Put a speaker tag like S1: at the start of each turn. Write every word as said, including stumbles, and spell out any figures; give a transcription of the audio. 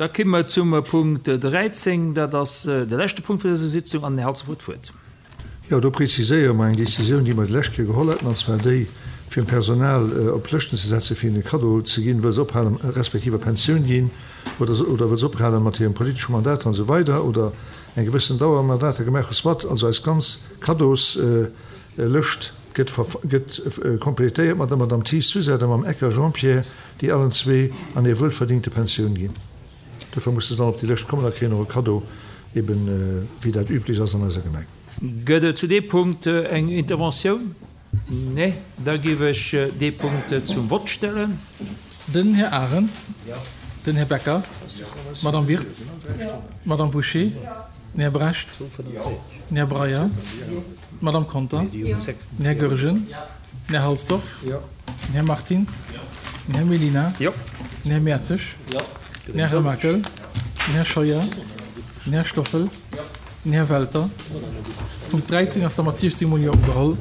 S1: Da komme mer zum Punkt dräizéng, dat ass de leschte Punkt vun dëser Sitzung, an den Här Halsdorf huet d'Wuert.
S2: Jo, do preziséiere mer eng Décisioun, déi mer déi lescht Kéier geholl haten, an zwar déi, fir Personal op Lëschten ze setzen, fir hinnen e Kaddo ze ginn, wëll se ophalen, respektiv a Pensioun ginn oder oder wëll se ophalen mat hirem politesche Mandat an esou weider oder eng gewëssen Dauer Mandater gemaach hu. Soit, also eis ganz Kaddoslëscht gëtt gëtt complétéiert mat der Madame Thies Suzette a mam Ecker Jean-Pierre, déi allen zwee an hir wuelverdingte Pensioun ginn. Dofir musse se dann op déi Lëscht kommen a kréien och e Kaddo, eben wéi dat üblech ass an eiser Gemeng.
S1: Gëtt et zu deem Punkt eng Interventioun? Nee? Da géif ech dee Punkt zum Vott stellen.
S3: Den Här Arendt. Den Här Becker. D'Madame Wirtz. D'Madame Bouché. Den Här Brecht. Den Här Breyer. D'Madame Conter. Den Här Goergen. Den Här Halsdorf. Den Här Martins. Den Här Mellina. Den Här Mertzig. Den Här Remakel. Den Här Scheuer. Den Här Stoffel. Den Här Welter. Punkt dräizéng ass da mat siechzéng mol Jo ugeholl.